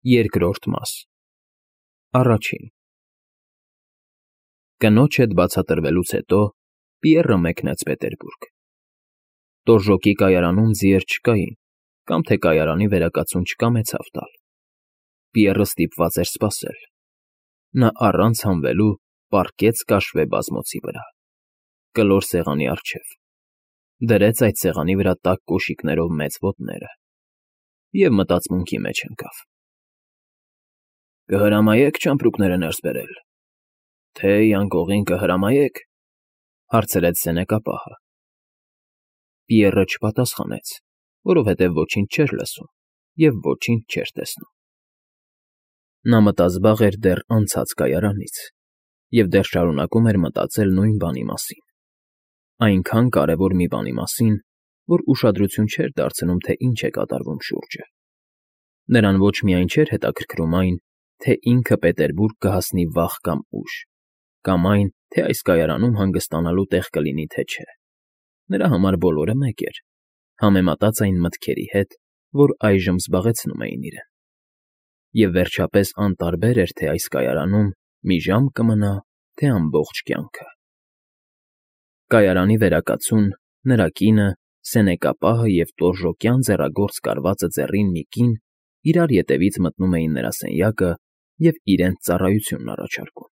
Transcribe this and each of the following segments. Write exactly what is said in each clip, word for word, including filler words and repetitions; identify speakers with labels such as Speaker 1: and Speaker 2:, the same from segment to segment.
Speaker 1: Երկրորդ մաս Առաջին Կնոջ հետ բացատրվելուց հետո Պիեռը մեկնեց Պետերբուրգ։ Տորժոկի կայարանում ձիեր չկային, կամ թե կայարանի վերակացուն չկամեցավ տալ։ Պիեռը ստիպված էր սպասել։ Նա առանց հանվելու պառկեց կաշվե բազմոցի վրա, կլոր սեղանի առջև, դրեց այդ սեղանի վրա տաք կոշիկներով մեծ ոտները և մտածմունքի մեջ ընկավ։ «Կհրամայե՞ք ճամպրուկները ներս բերել, թե անկողին կհրամայե՞ք,֊ հարցրեց սենեկապահը։ Պիեռը չպատասխանեց, որովհետև ոչինչ չէր լսում և ոչինչ չէր տեսնում։ Նա մտազբաղ էր դեռ անցած կայարանից և դեռ շարունակում էր մտածել նույն բանի մասին, այնքան կարևոր մի բանի մասին, որ ուշադրություն չէր դարձնում, թե ինչ է կատարվում շուրջը։ Նրան ոչ միայն չէր հետաքրքրում այն, թե ինքը Պետերբուրգ կհասնի վաղ կամ ուշ, կամ այն, թե այս կայարանում հանգստանալու տեղ կլինի, թե չէ։ Նրա համար բոլորը մեկ էր, համեմատած այն մտքերի հետ, որ այժմ զբաղեցնում էին իրեն։ Եվ վերջապես անտարբեր էր, թե այս կայարանում մի ժամ կմնա, թե ամբողջ կյանքը։ Կայարանի վերակացուն, նրա կինը, սենեկապահը և տորժոկյան ձեռագործ կարվածը ձեռին մի կին իրար ետևից մտնում էին նրա սենյակը և իրենց ծառայությունն առաջարկում։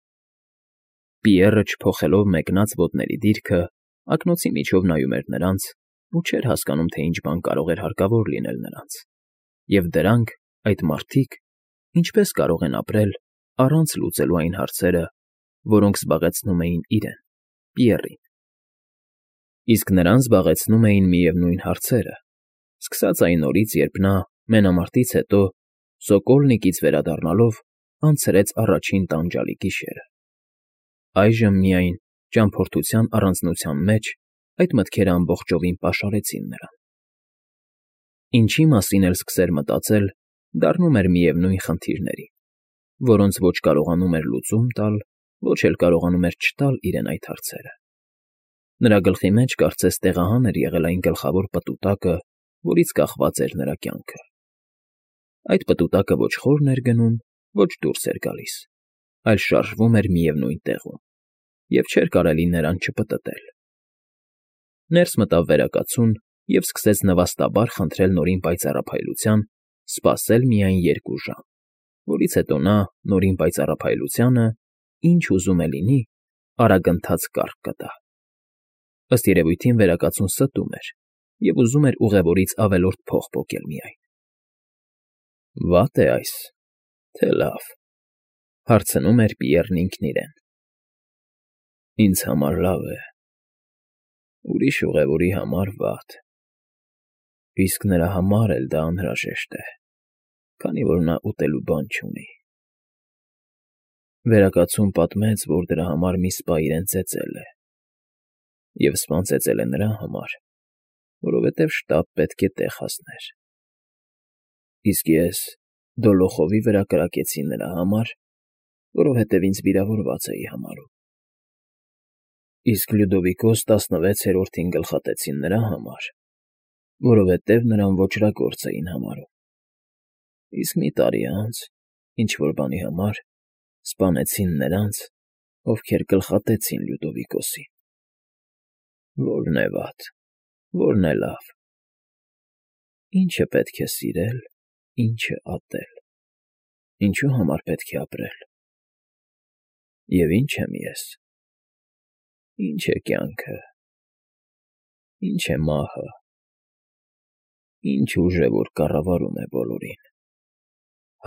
Speaker 1: Պիեռը, չփոխելով մեկնած ոտների դիրքը, ակնոցի միջով նայում էր նրանց ու չէր հասկանում, թե ինչ բան կարող էր հարկավոր լինել նրանց, և դրանք, այդ մարդիկ, ինչպես կարող են ապրել առանց լուծելու այն հարցերը, որոնք զբաղեցնում էին իրեն՝ Պիեռին։ Իսկ նրան զբաղեցնում էին միևնույն հարցերը, սկսած այն օրից, երբ նա, մենամարտից հետո, Սոկոլնիկից վերադառնալով, անցրեց առաջին տանջալի գիշերը։ Այժմ միայն, ճամփորդության առանձնության մեջ, այդ մտքերը ամբողջովին պաշարեցին նրան։ Ինչի մասին էլ սկսեր մտածել, դառնում էր միևնույն խնդիրների, որոնց ոչ կարողանում էր լուծում տալ, ոչ էլ կարողանում էր չտալ իրեն այդ հարցերը։ Նրա գլխի մեջ կարծես տեղահան էր եղել այն գլխավոր պտուտակը, որից կախված էր նրա կյանքը։ Այդ պտուտակը ոչ խորն էր գնում, ոչ դուրս էր գալիս, այլ շարժվում էր միևնույն տեղում, և չէր կարելի նրան չպտտել։ Ներս մտավ վերակացուն և սկսեց նվաստաբար խնդրել նորին պայծառափայլության սպասել միայն երկու ժամ, որից հետո նա նորին պայծառափայլությանը, ինչ ուզում է լինի, արագընթաց կառք կտա։ Ըստ երևույթին վերակացուն ստում էր և ուզում էր ուղևորից ավելորդ փող պոկել միայն։ «Վա՞տ է այս, թե լավ,֊ հարցնում էր Պիեռն ինքն իրեն։ Ինձ համար լավ է, ուրիշ ուղևորի համար վատ, իսկ նրա համար էլ դա անհրաժեշտ է, քանի որ նա ուտելու բան չունի։ Վերակացուն պատմեց, որ դրա համար մի սպա իրեն ծեծել է, և սպան ծեծել է նրա համար, որովհետև շտապ պետք է տեղ հասներ։ Իսկ ես դոլոխովի վրա կրակեցի նրա համար, որովհետև ինձ վիրավորված էի համարում։ Իսկ Լյուդովիկոս տասնվեցերորդին գլխատեցին նրա համար, որովհետև նրան ոճրագործ էին համարում։ Իսկ մի տարի անց, ինչ֊որ բանի համար, սպանեցին նրանց, ովքեր գլխատեցին Լյուդովիկոսին։ Ո՞րն է վատ, ո՞րն է լավ։ Ի՞նչը պետք է սիրել, ի՞նչը ատել, ինչու համար պետք է ապրել։ Եվ ի՞նչ եմ ես, ի՞նչ է կյանքը, ի՞նչ է մահը, ի՞նչ ուժ է, որ կառավարում է բոլորին,֊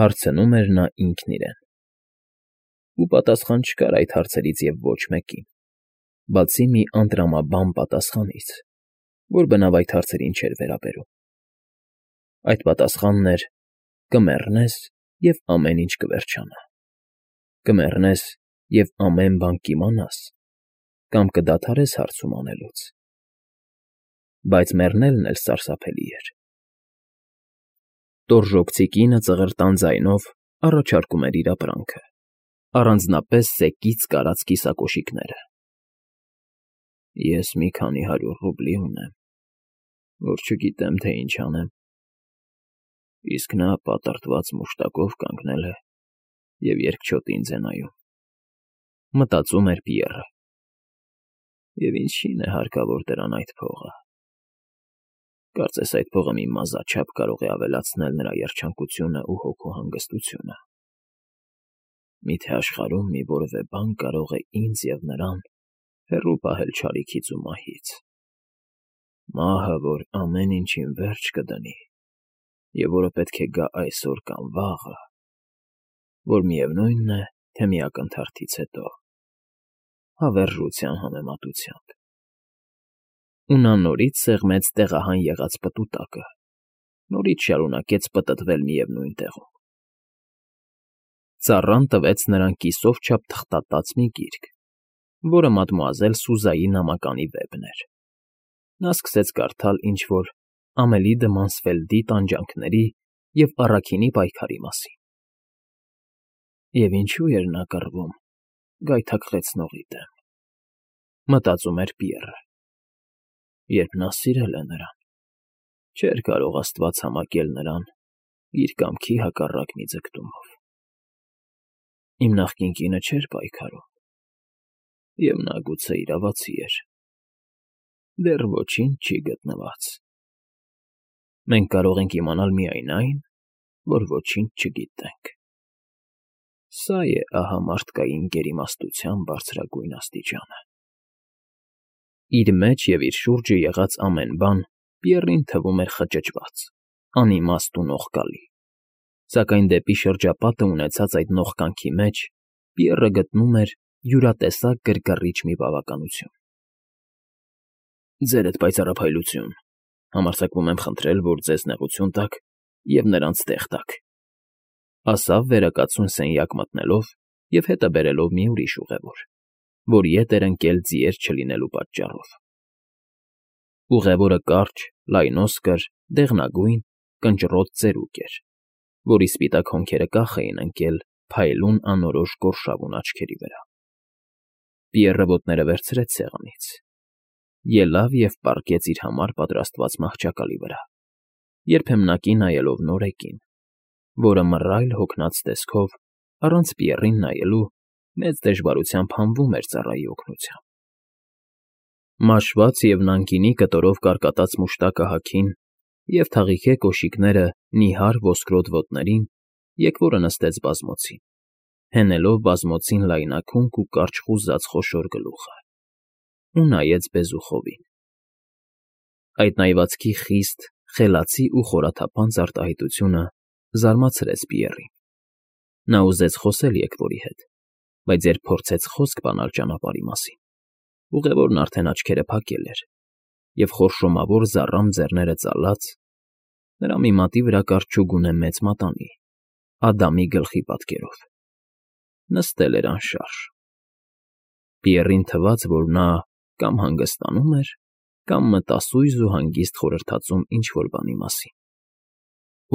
Speaker 1: հարցնում էր նա ինքն իրեն։ Ու պատասխան չկար այդ հարցերից և ոչ մեկին, բացի մի անտրամաբան պատասխանից, որ բնավ այդ հարցերին չէր վերաբերում։ Այդ պատասխանն էր. կմեռնես, և ամեն ինչ կվերջանա, կմեռնես և ամեն բան կիմանաս, կամ կդադարես հարցում անելուց։ Բայց մեռնելն էլ սարսափելի էր։ Տորժոկցի կինը ծղրտան ձայնով առաջարկում էր իր ապրանքը, առանձնապես սեկից կարած կիսակոշիկները։ Ես մի քանի հարյուր ռուբլի ունեմ, որ չգիտեմ, թե ինչ անեմ։ Իսկ նա պատրտված մուշտակով կանգնել է և երկչոտ ինձ է նայում, մտածում էր Պիեռը։ Եվ ինչի՞ն է հարկավոր դրան այդ փողը։ Կարծես այդ փողը մի մազաչափ կարող է ավելացնել նրա երջանկությունն ու հոգու հանգստությունը։ Մի՞թե աշխարհում մի որևէ բան կարող է ինձ և նրան հեռու պահել չարիքից ու մահից։ Մահը, որ ամեն ինչին վերջ կդնի, և որը պետք է գա այսօր կամ վաղը, որ միևնույն է, թե մի ակնթարթից հետո, հավերժության համեմատությամբ։ Ու նա նորից սեղմեց տեղահան եղած պտուտակը, նորից շարունակեց պտտվել միևնույն տեղում։ Ծառան տվեց նրան կիսով չափ թղթատած մի գիրք, որը մադմուազել Սուզայի նամականի վեպն էր։ Նա սկսեց կարդալ ինչ-որ Ամելի դը Մանսֆելդի տանջանքների և առաքինի պայքարի մասին։ Եվ ինչու էր նա կռվում գայթակղեցնողի դեմ, մտածում էր Պիեռը, երբ նա սիրել է նրան, չէր կարող աստված համակել նրան իր կամքի հակառակ մի ձգտումով։ Իմ նախկին կինը չէր պայքարում, և նա գուցե իրավացի էր, դեռ ոչինչ չի գտնված։ Մենք կարող ենք իմանալ միայն այն, որ ոչինչ չգիտենք։ Սա է ահա մարդկային գերիմաստության բարձրագույն աստիճանը։ Իր մեջ և իր շուրջը եղած ամեն բան Պիեռին թվում էր խճճված, անիմաստ ու նողկալի, սակայն դեպի շրջապատը ունեցած այդ նողկանքի մեջ Պիեռը գտնում էր յուրատեսակ գրգռիչ մի բավականություն։ «Ձերդ պայծառափայլություն, համարձակվում եմ խնդրել, որ ձեզ նեղություն տաք և նրանց տեղ տաք», ասավ վերակացուն սենյակ մտնելով և հետը բերելով մի ուրիշ ուղևոր, որ ետ էր ընկել ձիեր չլինելու պատճառով։ Ուղևորը կարճ, լայնոսկր, դեղնագույն, կնճռոտ ծերուկ էր, որի սպիտակ հոնքերը կախ էին ընկել փայլուն անորոշ գորշավուն աչքերի վրա։ Պիեռը ոտները վերցրեց սեղանից, ելավ և պառկեց իր համար պատրաստված մահճակալի վրա, երբեմնակի նայելով Նորեկին, որը մռայլ հոգնած տեսքով, առանց Պիեռին նայելու, մեծ դժվարությամբ հանվում էր ծառայի օգնությամբ։ Մաշված և նանգինի կտորով կարկատած մուշտակը հագին և թաղիքե կոշիկները նիհար ոսկրոտ ոտներին եկվորը նստեց բազմոցին, հենելով բազմոցին լայնաքունք ու կարճ խուզած խոշոր գլուխը, ու նայեց բեզուխովին։ Այդ նայվածքի խիստ, խելացի ու խորաթափանց արտահայտությունը զարմացրեց Պիեռին։ Նա ուզեց խոսել եկվորի հետ, բայց երբ փորձեց խոսք բանալ ճանապարհի մասին, ուղևորն արդեն աչքերը փակել էր, և խորշոմավոր զառամ ձեռները ծալած, նրա մի մատի վրա կար չուգունե մեծ մատանի, Ադամի գլխի պատկերով, նստել էր անշարժ։ Պիեռին թվաց, որ նա կամ հանգստանում էր, կամ մտասույզ ու հանգիստ խորհրդածում ինչ֊որ բանի մասին։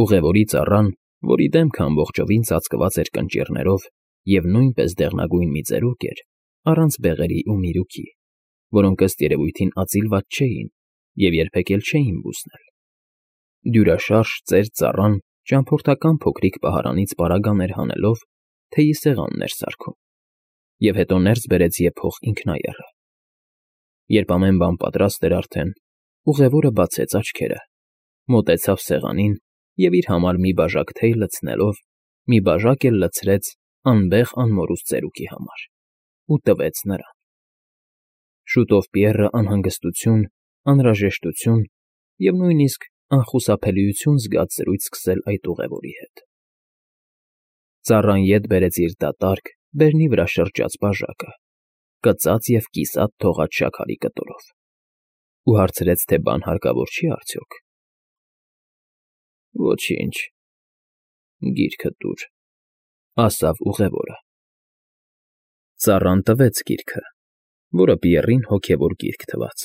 Speaker 1: Ուղևորի ծառան, որի դեմքը ամբողջովին ծածկված էր կնճիռներով և նույնպես դեղնագույն մի ծերուկ էր, առանց բեղերի ու միրուքի, որոնք ըստ երևույթին ածիլված չէին և երբեք էլ չէին բուսնել։ Դյուրաշարժ ծեր ծառան ճամփորդական փոքրիկ պահարանից պարագաներ հանելով թեյի սեղանն էր սարքում, և հետո ներս բերեց եփող ինքնաեռը։ Երբ ամեն բան պատրաստ էր արդեն, ուղևորը բացեց աչքերը, մոտեցավ սեղանին և իր համար մի բաժակ թեյ լցնելով, մի բաժակ էլ լցրեց անվեհ անմորուց ծերուկի համար ու տվեց նրան։ Շուտով Պիեռը անհանգստություն, անհրաժեշտություն և նույնիսկ անխուսափելիություն զգաց զրույց սկսել այդ ուղևորի հետ։ Ծառան ետ բերեց իր դատարկ, բերնի վրա շրջած բաժակը, կծած և կիսատ թողած շաքարի կտորով, ու հարցրեց, թե բան հարկավոր չի արդյոք։ ֊ Ոչինչ, գիրքդ տուր, ֊ ասավ ուղևորը։ Ծառան տվեց գիրքը, որը Պիեռին հոգևոր գիրք թվաց,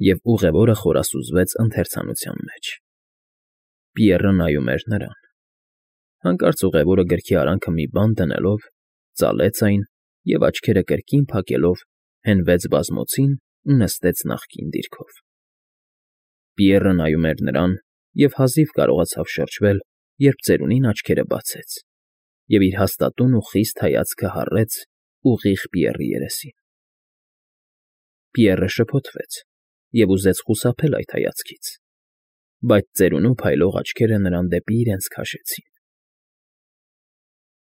Speaker 1: և ուղևորը խորասուզվեց ընթերցանության մեջ։ Պիեռը նայում էր նրան։ Հանկարծ ուղևորը գրքի արանքը մի բան դնելով, ծալեց այն և, աչքերը կրկին փակելով, հենվեց բազմոցին ու նստեց նախկին դիրքով։ Պիեռը նայում էր նրան Եվ հազիվ կարողացավ շրջվել, երբ ծերունին աչքերը բացեց և իր հաստատուն ու խիստ հայացքը հառեց ուղիղ Պիեռի երեսին։ Պիեռը շփոթվեց և ուզեց խուսափել այդ հայացքից, բայց ծերունու փայլող աչքերը նրան դեպի իրենց քաշեցին։